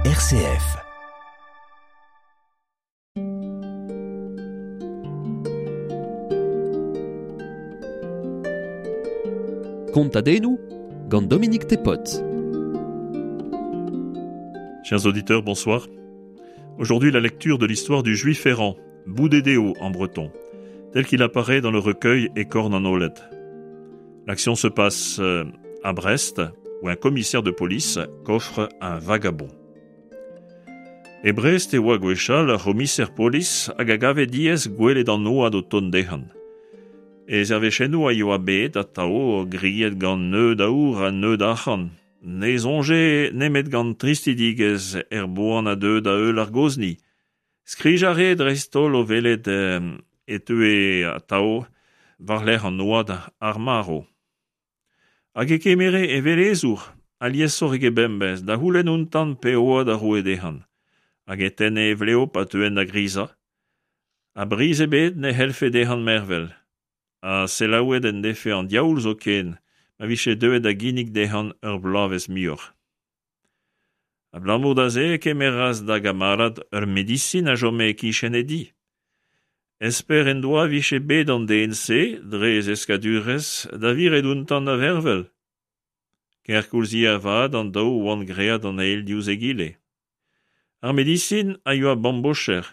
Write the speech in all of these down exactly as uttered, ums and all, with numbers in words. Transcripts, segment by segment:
R C F. Kontadennoù gant Dominique Thépaut. Chers auditeurs, bonsoir. Aujourd'hui, la lecture de l'histoire du juif errant, Boudédéo en breton, tel qu'il apparaît dans le recueil Écorne en Olet. L'action se passe à Brest, où un commissaire de police coffre un vagabond. E Brest e oa gwechall ar c'homiser polis hag a gave diaes gwelet an oad o tont dezhan. E zervechennoù a yoa bet atao griet gant neud aour ha neud arc'hant. Ne soñje nemet gant tristidigezh er boan a deu da heul ar gozni. Skrij a re dreist-holl o welet e teue atao war-lerc'h an oad ar marv. Hag e kemere e velezour, aliesoc'h eget bemdez, da c'houlenn ountan pe oad a roe dezhan. Hag e tenne e vleo pa teuen da grizañ. A briz ebet ne c'hellfe dezhan mervel. Ha selaouet en defe an diaoul zoken, ma vije deuet da ginnig dezhan ur bloavezh muioc'h. Abalamour da se e kemeras da gamarad ur medisin a chome e-kichen e di. Esper en doa vije bet an den-se, dre e zeskadurezh, da viret ountan da vervel. Kerkoulz avat an daou oant graet an eil diouzh egile. Ar medisin a yoa bambocher.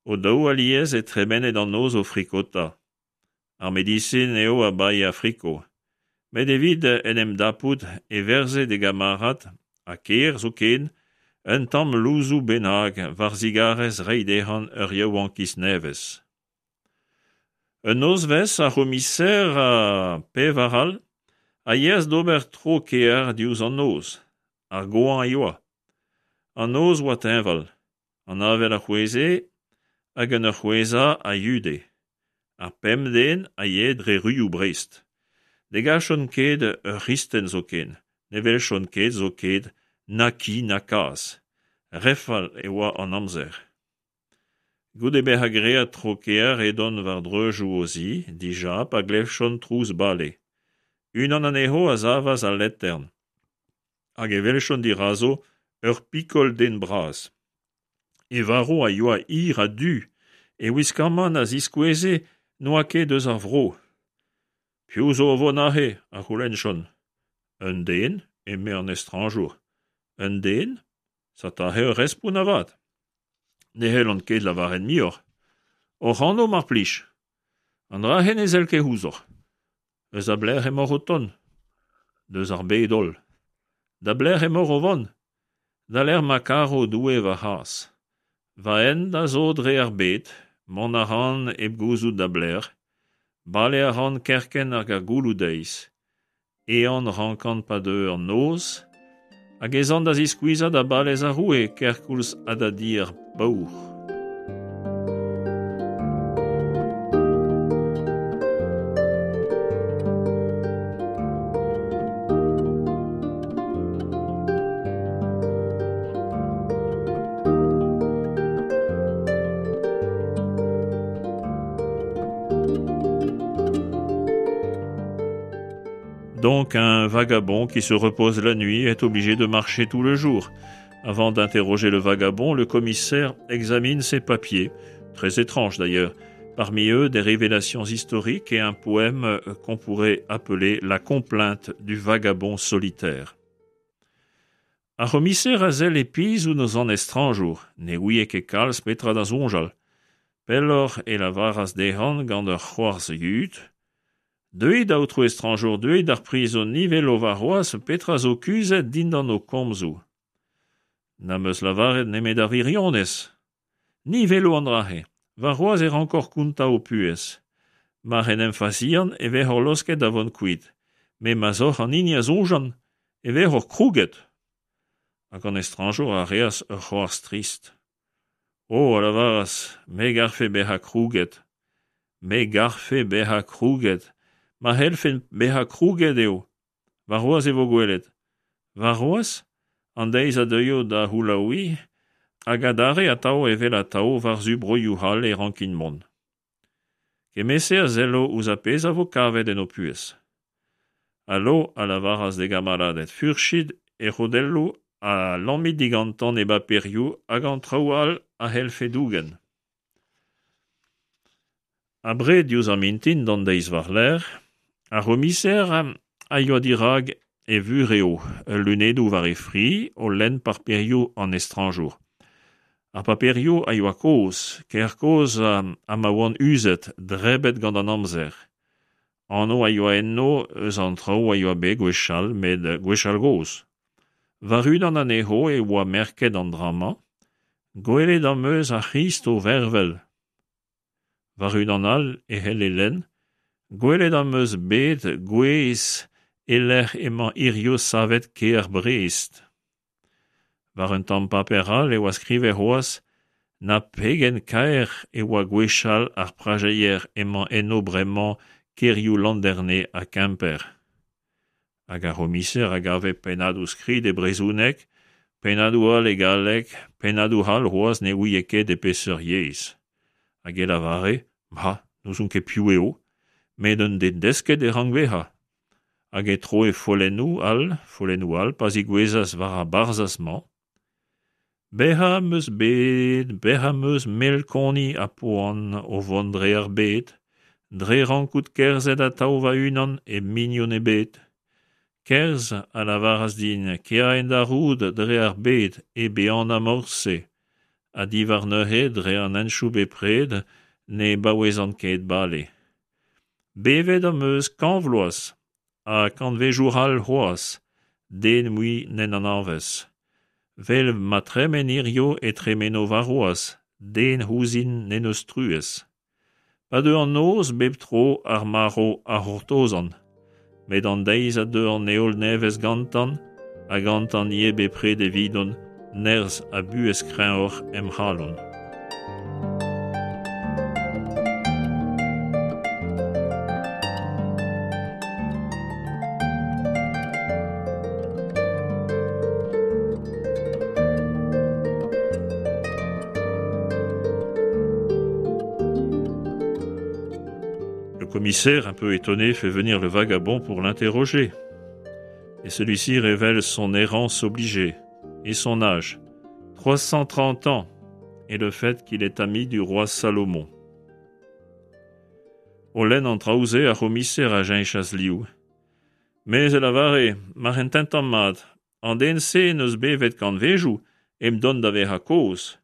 O daou alies e tremenet an noz o frikota. Ar medisin eo a bae a friko. Met evit en em dapout e verze d'e gamarad, ha ker zoken, un tamm louzoù bennak war zigarez reiñ dezhan ur yaouankiz nevez. Un nozvezh ar c'homiser ha pevar all a yeas d'ober tro kêr diouzh an noz. Ar goañv a yoa. An noz oa teñval. An avel a c'hwezhe hag en ur c'hwezhañ a yude. Ar pemp den a yae dre ruioù Brest. Ne gavjont ket ur c'hristen zoken, ne weljont ket zoken na ki na kazh. Re fall e oa an amzer. Goude bezañ graet tro kêr edont war dreuzoù o zi, dija pa glevjont trouz bale. Unan anezho a savas al letern. Hag e weljont dirazo ur pikol den bras. E varv a yoa hir ha du, e wiskamant a ziskoueze n'oa ket eus ar vro. Piv zo o vont aze, a c'houlennjont. Un den, eme an estrañjour. Un den? Satahe ur respont avat. Ne c'hellan ket lavaret muioc'h. Hoc'h anv mar plij. An dra-se ne sell ket ouzhoc'h. Eus a belec'h emaoc'h o tont? Deus ar bed holl. Da belec'h emaoc'h o vont? Da lec'h ma karo Doue va c'has. Va hent a zo dre ar bed, mont a ran hep gouzout da belec'h, bale a ran kerkent hag ar gouloù-deiz. Ehan rankan pa deu an noz, hag ez an da ziskuizhañ da balez ar roue kerkoulz ha da di ar paour. Donc un vagabond qui se repose la nuit est obligé de marcher tout le jour. Avant d'interroger le vagabond, le commissaire examine ses papiers, très étranges d'ailleurs. Parmi eux, des révélations historiques et un poème qu'on pourrait appeler La complainte du vagabond solitaire. Ar c'homiser a sell e pizh ouzh an estrañjour, ne ouie ket kalz petra da soñjal. Pelloc'h e lavaras dezhan gant ur c'hoarzh yud. Deuit, aotrou estrañjour, deuit d'ar prizon, ni welo warc'hoazh petra zo kuzhet dindan ho komzoù. N'am eus lavaret nemet ar wirionez. Ni welo an dra-se. Warc'hoazh e rankoc'h kontañ ho puhez. Mar en em fazian e vezoc'h laosket da vont kuit. Met ma 'z oc'h an hini a soñjan, e vezoc'h krouget. Hag an estrañjour a reas ur c'hoarzh trist. O, a lavaras, me garfe bezañ krouget. Me garfe bezañ krouget. Ma c'hellfen bezañ krouget eo. Warc'hoazh e vo gwelet. Warc'hoazh, an deiz a deuio da c'houlaouiñ, hag adarre atav evel atav war-zu broioù all e rankin mont. Kement-se a sello ouzh ar pezh a vo kavet en ho puhez. Alo, a lavaras d'e gamaraded, furchit e c'hodelloù Ha lamit digantañ e baperioù hag an traoù all a c'hellfe dougen. Abred diouzh ar mintin d'an deiz war-lerc'h, ar c'homiser a yoa dirak e vurev, lunedoù war e fri o lenn paperioù an estrañjour. Ar paperioù a yoa kozh, ker kozh ha ma oant uzet, drebet gant an amzer. Anv a yoa enno eus an traoù a yoa bet gwechall, met gwechall gozh. War unan anezho e oa merket an dra-mañ: Gwelet am eus ar C'hrist o vervel. War unan all e c'helle lenn: Gwelet am eus bet gwez e-lec'h emañ hiziv savet kêr Brest. War un tamm paper all e oa skrivet c'hoazh: Na pegen kaer e oa gwechall ar prajeier emañ enno bremañ kêrioù Landerne ha Kemper. Hag ar c'homiser a gave pennadoù-skrid e brezhoneg, pennadoù all e galleg, pennadoù all c'hoazh ne ouie ket e peseurt yezh. Hag e lavare, ma, n'ouzon ket piv eo, met un den desket e rank bezañ. Hag e troe follennoù all, follennoù all, pa zigouezas war ar barzhaz-mañ. Bezañ am eus bet, bezañ am eus melkoni ha poan o vont dre ar bed, dre rankout kerzhet atav va-unan hep mignon ebet. Kerzh, a lavaras din, kea en da roud dre ar bed hep ehanañ morse, ha diwar neuze dre an hentoù bepred ne baouezan ket bale. Bevet am eus kant vloaz ha kantvedoù all c'hoazh, den mui n'en anavez. Vel ma tremen hiziv e tremeno warc'hoazh, den ouzhin n'en deus truez. Pa deu an noz bep tro ar marv a c'hortozan, met an deiz a deu an heol nevez gantañ, ha gantañ ivez bepred evidon, nerzh ha buhez kreñvoc'h em c'halon. Le commissaire, un peu étonné, fait venir le vagabond pour l'interroger. Et celui-ci révèle son errance obligée et son âge, trois cent trente ans, et le fait qu'il est ami du roi Salomon. O lenn an traoù-se ar c'homiser a cheñchas liv. Mes e lavare, mar ententan mat, an den-se n'eus bevet kantvedoù hep dont da vezañ kozh.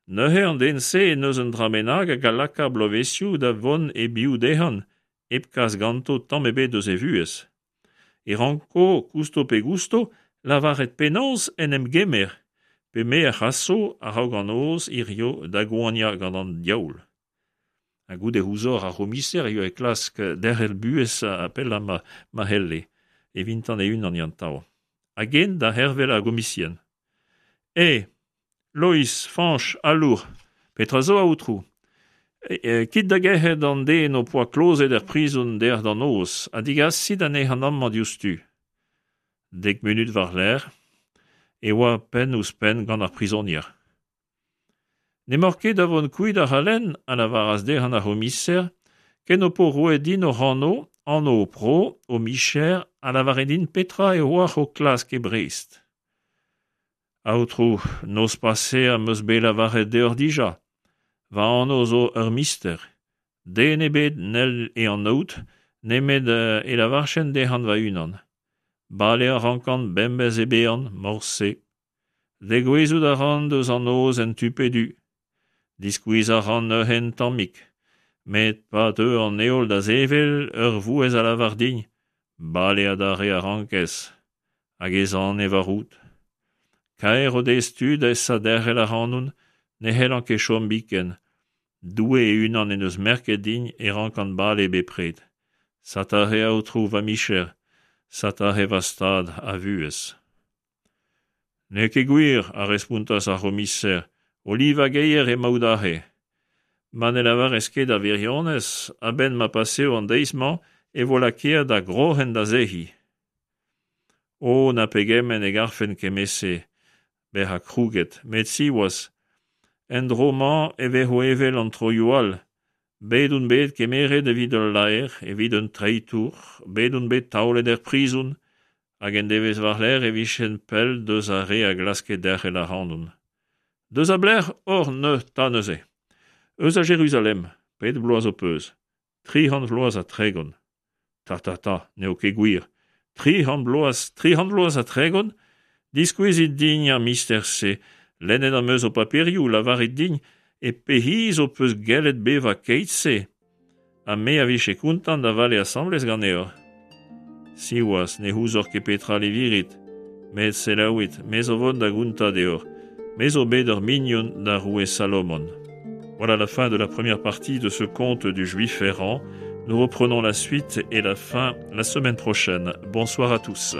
Neuze an den-se n'eus un dra bennak hag a laka bloavezhioù da vont e-biou dezhañ, hep kas ganto tamm ebet eus e vuhez. E ranko, kousto pe gousto, lavaret penaos en em gemer, pe me a c'haso a-raok an noz hiziv da goaniañ gant an diaoul. Ha goude ouzhoc'h ar c'homiser eo e klask derc'hel buhez ha pellañ ma, ma c'helle, evintan e-unan yantav. Hag en da c'hervel ar gomisien. E, Lois, Fañch, Alour, petra zo aotrou? E, e, kit da gerc'het an den ho poa klozet er prizon dec'h d'an noz, ha digasit anezhañ amañ diouzhtu. Dek munut war-lerc'h e oa penn ouzh penn gant ar prizonier. N'emaoc'h ket da vont kuit ac'halen, a lavaras dezhañ ar c'homiser, ken ho po roet din hoc'h anv, anv ho pro, ho micher, ha lavaret din petra e oac'h o klask e Brest. Aotrou, noz pase am eus bet lavaret deoc'h dija. Va anv zo ur mister. Den ebet n'hell e anaout, nemet e lavarchen dezhañ va-unan. Bale a rankan bemdez e bean, morse. Degouezhout a ran deus an noz en tu pe du. Diskuizh a ran neuze un tammig. Met pa deu an heol da sevel, ur vouezh a lavar din. Bale adarre a rankez. Hag ez an e va roud. Kaer o dez tud esa derc'hel ac'hanon, ne c'hellan ket chom biken. Doue e-unan en deus merket din e rankan bale bepred. Satare aotrou va micher, satare va stad a vuhez. N'eo ket gwir, a respontas ar c'homiser, o livañ geier emaout aze. Ma ne lavarez ket a wirionez, a-benn ma paseo an deiz-mañ e vo lakaet da groc'hen da sec'hiñ. O, na pegement e garfen kement-se, bezañ krouget, met siwazh, en dro-mañ e vezo evel an troioù all. Bet on bet kemeret evit ul laer, evit un treitour, bet on bet taolet er prizon, Hag en devezh war-lerc'h e vijen pell deus ar re a glaske derc'hel ac'hanon. Deus a belec'h oc'h 'ta neuze? Eus a Jeruzalem, pet bloaz ho peus? Tri c'hant vloaz ha tregont. Ta ta ta, n'eo ket gwir. Tri c'hant bloaz, tri c'hant vloaz ha tregont? Diskouezit din ar mister-se, lennet am eus ho paperioù, lavarit din e pe c'hiz ho peus gellet bevañ keit-se. Ha me a vije kontant da vale asambles ganeoc'h. Siwazh, ne ouzoc'h ket petra livirit. Met selaouit, me zo vont da gontañ deoc'h. Me zo bet ur mignon d'ar roue Salomon. Voilà la fin de la première partie de ce conte du Juif errant. Nous reprenons la suite et la fin la semaine prochaine. Bonsoir à tous.